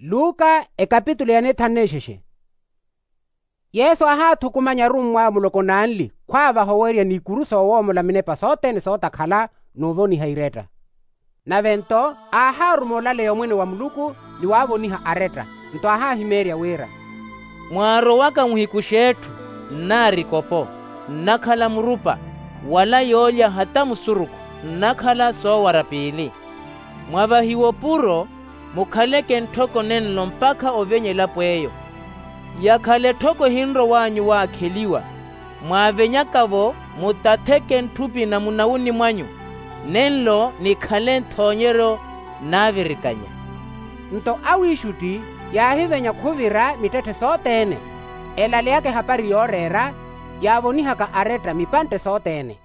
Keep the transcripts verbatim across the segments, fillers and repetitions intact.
Luka ekapitulo ya nithanu nexexe. Yesu aahaathukumanya arummw'awe muloko n'anli khwaavaha oweerya n'ikuru soowoomola minepa sothene sootakhala n'uvoniha iretta. Nave nto aahaaruma olaleya omwene wa muluku ni waavoniha aretta. Nto aahahimeerya wira, mwaarowaka muhiku x'etthu nnaarikopo, nnakhala murupa, wala yoolya hata musurukhu nnakhala soowara piili. Mwavahiwe opuro, mukhaleke ntthoko nenlo mpakha ovenye elapo eyo. Yakhala etthoko ehinrow'anyu waakheliwa, mwaavenyaka-vo mutatheke ntthupi na munawuni mwanyu, nenlo nikhale nthoonyeryo naavirikanya. Nto awiixutti yaahivenya khuvira mittetthe sothene, elaleyaka ehapari yooreera yaavonihaka aretta mipantte sothene.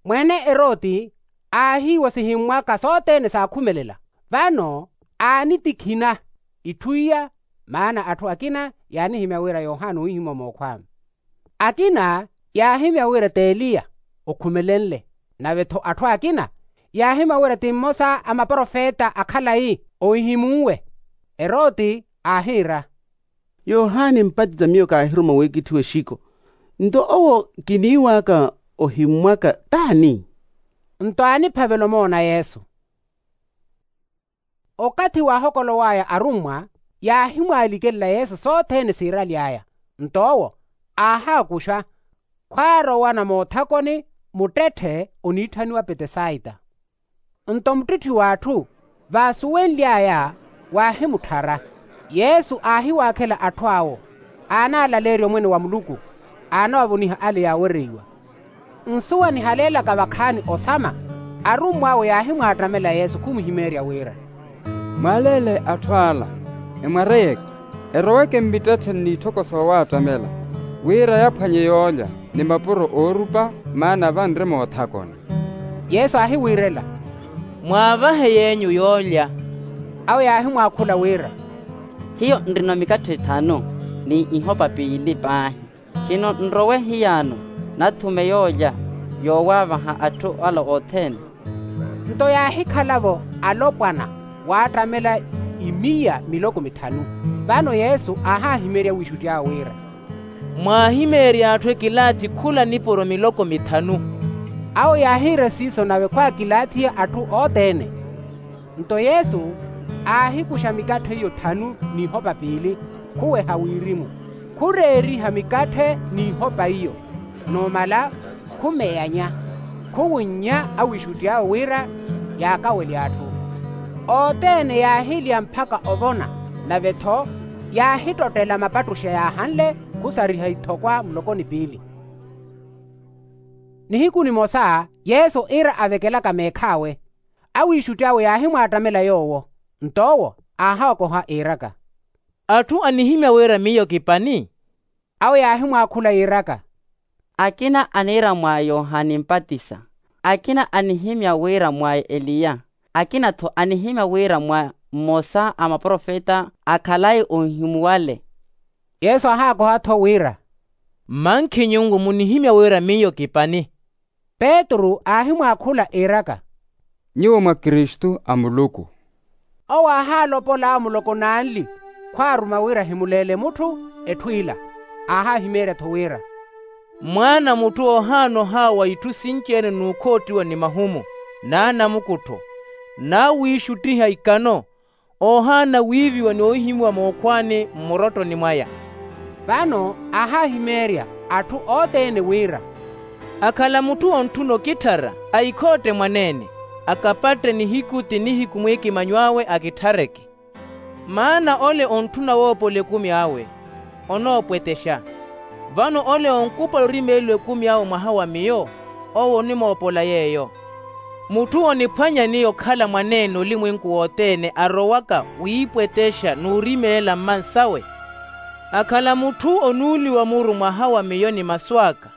Mwene eroti aahiiwa sihimmwaka sothene saakhumelela, vano aanitikhina itthu iya. Maana atthu akina yaanihimya wira yohana ohihimuwa mookhw'awe, akina yaahimya wira t'eliya okhumelenle, nave-tho atthu akina yaahimya wira ti mmosa a maprofeta akhalayi ohihimunwe. Eroti aahiira, yohani mpatisa miyo kaahiruma wiikitthiwa exiko, nto owo kiniiw'aka ohimmwaka t'ani? Nto aaniphavela omoona yesu. Okathi waahokolow'aya arummwa yaahimwaalikelela yesu sothene siiraly'aya. Nto owo aahaakuxa, khwaarowana moothakoni muttetthe oniitthaniwa petesaita. Nto muttitthi w'atthu vaasuwenly'aya waahimutthara. Yesu aahiwaakhela atthu awo aanaalaleerya omwene wa muluku, aanawavoniha ale yaawereiwa. Nsuwa nihaleelaka vakhaani osama, arummw'awe yaahimwaattamela yesu khumuhimeerya wira, mwaaleele atthu ala, emwareyeke, eroweke mmittettheni n'itthoko soowaattamela, wira yaphwanye yoolya ni mapuro oorupa, maana vanre moothakoni. Yesu aahiwiirela, mwaavahe yeenyu yoolya. Awo yaahimwaakhula wira, hiyo nrina mikatthe ithanu ni ihopa piili paahi. Khino nrowe hiyano nathume yoolya yoowaavaha atthu ala othene. Nto yaahikhala-vo alopwana waattamela imiya miloko mithanu. Vano yesu aahahimeerya wiixutti awe wira, mwaahimeerya atthu ekilaathi khula nipuro miloko mithanu. Awo yaahiira siiso nave khwaakilaathiya atthu othene. Nto yesu aahikuxa mikatthe iyo thanu n'ihopa piili, khuweha wirimu, khureeriha mikatthe n'ihopa iyo, numala khumeyanya, khuwunnya awiixutti awe wira yaakawelye atthu. Othene yaahilya mpakha ovona, nave-tho yaahittottela mapattuxa yaahanle khusariha ithokwa muloko ni piili. Nihiku nimosa yesu iira avekelaka meekh'awe, awiixutti awe yaahimwaattamela yoowo. Nto owo aahaakoha iiraka, atthu anihimya wira miyo ki pani? Awo yaahimwaakhula yiiraka, akina aniira mwa yohani mpatisa, akina anihimya wira mwa eliya, akina-tho anihimya wira mwa mmosa a maprofeta akhalayi ohihimuwale. Yesu aahaakoha-tho wira, mmankhi nyunku munihimya wira miyo ki pani? Petru aahimwaakhula iiraka, nyuwo mwa kristu a muluku. Owo aahaalopol'awe muloko n'anli khwaaruma wira ahimuleele mutthu etthu ila, aahaahimeerya-tho wira, mwaana a mutthu oohaana ohaawa itthu sinci-ene n'ukhoottiwa ni mahumu, n'anamukuttho, n'awiixuttiha ikano, oohaana wiiviwa ni ohihimuwa mookhwaani mmurottoni mwaya. Vano aahaahimeerya atthu othene wira, akhala mutthu ontthuna okitthara, aikhootte mwaneene, akapatte nihiku ti nihiku mwiikimanyo awe akithareke. Maana ole ontthuna woopola ekumi awe, onoopwetexa. Vano ole onkupala orimeeliwa ekumi awe mwaha wa miyo, owo onimoopola yeeyo. Mutthu oniphwanya ni okhala mwaneene olimwenku wothene arowaka wiipwetexa n'urimeela mmansawe. Akhala mutthu onuuliwa muru mwaha wa miyo ni masu aka,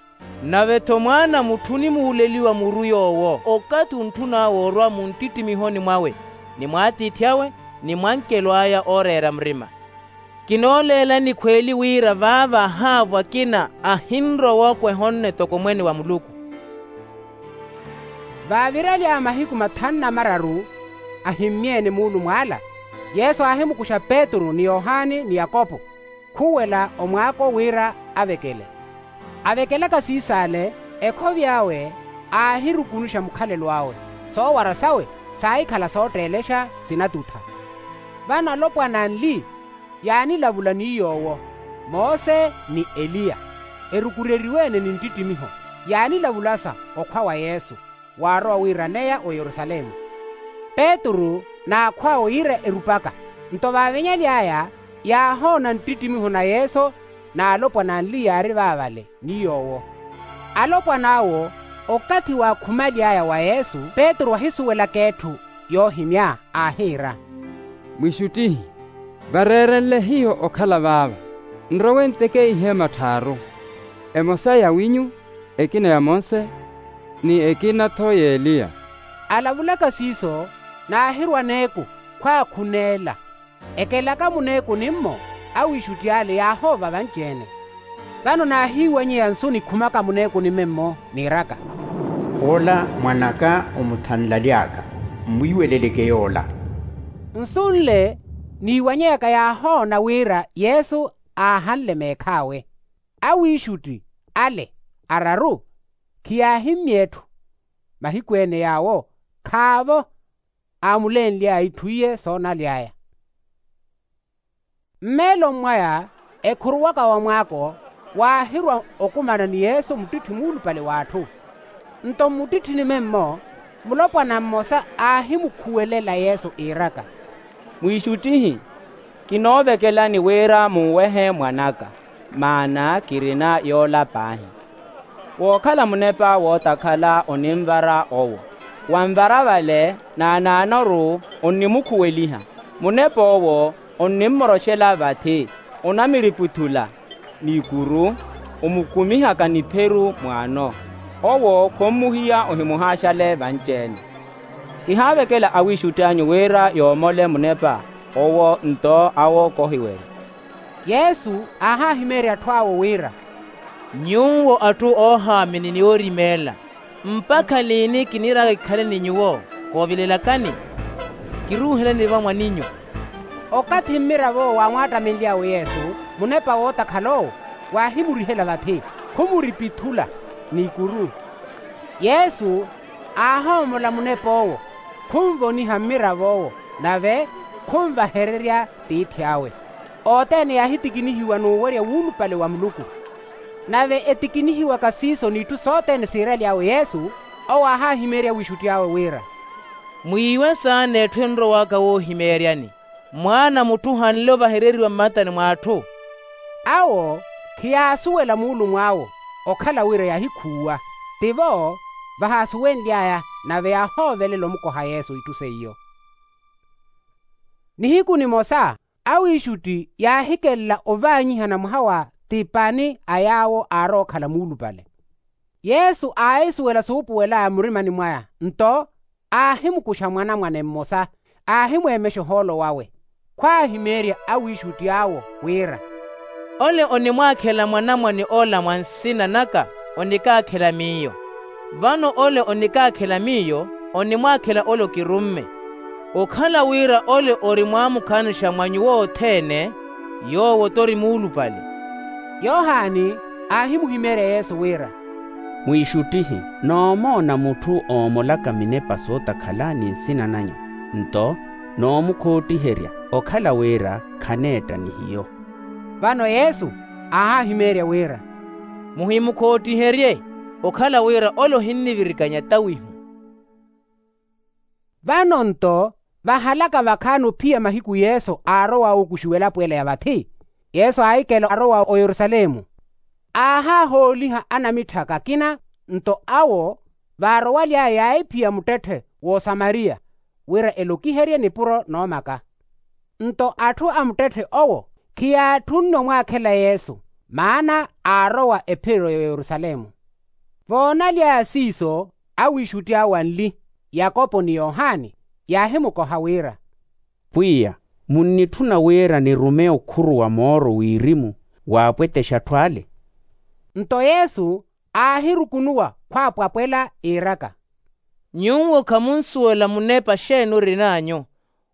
nave-tho mwaana a mutthu onimuuleliwa muru yoowo okathi ontthun'awe orwa muntittimihoni mwawe, ni mw'atiithi awe, ni mwankelo aya ooreera murima. Kinooleelani khweeli wira vaava ahaavo akina ahinrowa okweha onne toko mwene wa muluku. Vaaviraly'aya mahiku mathanu na mararu, ahimmye-ene muulumw'ala. Yesu aahimukuxa petru ni yohani ni yakopo, khuwela omwaako wira avekele. Avekelaka siis'ale, ekhovi awe aahirukunuxa mukhalelo awe. Soowara sawe saahikhala sootteelexa sinatutha. Vano alopwana anli yaanilavula ni yoowo, mose ni eliya, erukureriwe-ene ni nttittimiho, yaanilavulasa okhwa wa yesu, waarowa wiiraneya oyerusalemu. Petru n'akhw'awe yiira erupaka. Nto vaavinyaly'aya yaahoona nttittimiho na yesu, n'alopwana anli yaari vaavale ni yoowo. Alopwan'awo, okathi waakhumyaly'aya wa yesu petru ahisuwelaka etthu yoohimya, aahiira, mwiixuttihi, vareerenle hiyo okhala vaava, nrowe nteke iheema tthaaru, emosa ya winyu, ekina ya monse, ni ekina-tho y'eliya. Alavulaka siiso, naahirwa aneeku khwaakhuneela. Ekelaka muneeku nimmo, awiixutti ale yaahoova vanci-ene. Vano naahiiwanyeya nsu nikhumaka muneeku nimmo, niiraka, ola mwan'aka omuthanlaly'aka, mmwiiweleleke yoola. Nsu nle niiwanyeyaka yaahoona wira yesu aahanle meekh'awe. Awiixutti ale araru khiyaahimmye etthu. Mahiku-ene yaawo khaavo aamulenly'aya itthu iye soonaly'aya. Mmeeloni mwaya, ekhuruwaka wa mwaako, waahirwa okumana ni yesu muttitthi muulupale w'atthu. Nto mmuttitthini memmo, mulopwana mmosa aahimukhuwelela yesu iiraka, mwiixuttihi, kinoovekelani wira munwehe mwan'aka, maana kirina yoola paahi. Wookhala munepa wootakhala oninvara owo, wanvara vale naanaanoru onnimukhuweliha. Munep'owo onnimmoroxela vathi, onamiriputhula n'ikuru, omukumihaka nipheru mwaano. Owo khommuhiya ohimuhaaxale vanci-ene. Kihaavekela awiixutti anyu wira yoomole munepa owo nto awo kohiwerya. Yesu aahahimeerya atthu awo wira, nyuwo atthu oohaamini ni oorimeela, mpakha liini kiniraka kikhale ni nyuwo? Koovilelakani, kiruuhelani va mwaninyu. Okathi mmirav'owo waamwaattamenly'awe yesu, munepa wootakhala owo waahimurihela vathi, khumuripithula n'ikuru. Yesu aahoomola munep'owo, khunvoniha mmirav'owo, nave khunvahererya tiithi awe. Othene yaahitikinihiwa n'uwerya wuulupale wa muluku. Nave etikinihiwaka siiso n'itthu sothene siiraly'awe yesu, owo aahahimeerya wiixutti awe wira, mwiiwe saana etthu enrowaka woohimeeryani, mwaana a mutthu ohanle ovahereriwa mmatani mw'atthu. Awo khiyaasuwela muulumw'awo, okhala wira yaahikhuuwa. Tivo vahaasuwenly'aya, nave yaahoovelela omukoha yesu itthu seiyo. Nihiku nimosa awiixutti yaahikelela ovaanyihana mwaha wa ti pani a yaawo aarowa okhala muulupale. Yesu aahisuwela suupuwel'aya murimani mwaya, nto aahimukuxa mwanamwane mmosa, aahimweemexa ohoolo wawe. Khwaahimeerya awiixutti awo wira, ole onimwaakhela mwanamwane ola mwa nsina naka, onikaakhela miyo. Vano ole onikaakhela miyo, onimwaakhela ole okirumme. Okhala wira ole ori mwaamukhaanixa mwa nyuwo othene, yoowo t'ori muulupale. Yohani aahimuhimeerya yesu wira, mwiixuttihi, noomoona mutthu oomolaka minepa sootakhala ni nsina nanyu, nto noomukhoottiherya, okhala wira khaneetta ni hiyo. Vano yesu aahahimeerya wira, muhimukhoottiherye, okhala wira ole ohinnivirikanya tawihu. Vano nto vahalaka vakhaani ophiya mahiku yesu aarowa ookuxiwa elapo ela ya vathi. Yesu aahikela arowa oyerusalemu, aahahooliha anamitthaka akina, nto awo vaarowaly'aya yaahiphiya muttetthe w'osamariya, wira elokiherye nipuro noomaka. Nto atthu a muttetthe owo khiyaatthunne omwaakhela yesu, maana aarowa ephiro y'oyerusalemu. Voonaly'aya siiso, awiixutti awo anli, yakopo ni yohani, yaahimukoha wira, pwiya, munnitthuna wira nirume okhuru wa mooro wirimu waapwetexa atthu ale? Nto yesu aahirukunuwa khwaapwapwela iiraka, nyuwo khamunsuwela munepa xeeni orin'anyu.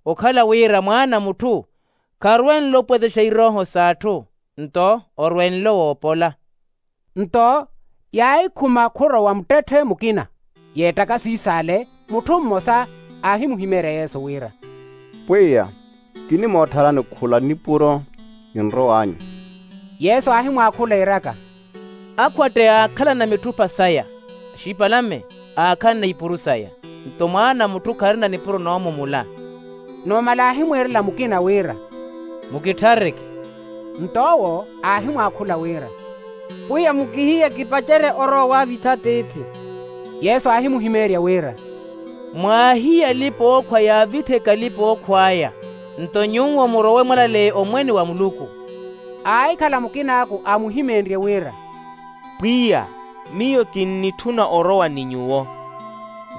okhala wira mwaana a mutthu kharwenle opwetexa irooho s'atthu, nto orwenle woopola. Nto yaahikhuma khurowa muttetthe mukina. Yeettaka siis'ale, mutthu mmosa aahimuhimeerya yesu wira, pwiya, kinimoottharani khula nipuro ninrow'anyu. Yesu aahimwaakhula iiraka, akhwatte aakhalana mitthupa saya, axipalame aakhalana ipuru saya. Nto mwaana a mutthu kharina nipuro noomumula. Numala aahimwiirela mukina wira, mukitthareke. Nto owo aahimwaakhula wira, pwiya mukihiye kipacerye orowa waavitha tiithi. Yesu aahimuhimeerya wira, mwaahiye alipa-ookhwa yaavittheke alipa-ookhw'aya, nto nyuwo murowe mwalaleya omwene wa muluku. Aahikhala mukin'aku aamuhimeenrye wira, pwiya, miyo kinnitthuna orowa ni nyuwo.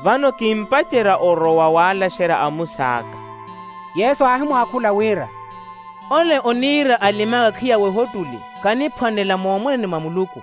Vano kimpacerya orowa waalaxerya amus'aka. Yesu aahimwaakhula wira, ole oniira alim'aka khiyawe ohottuli, khaniphwanela moomwene mwa muluku.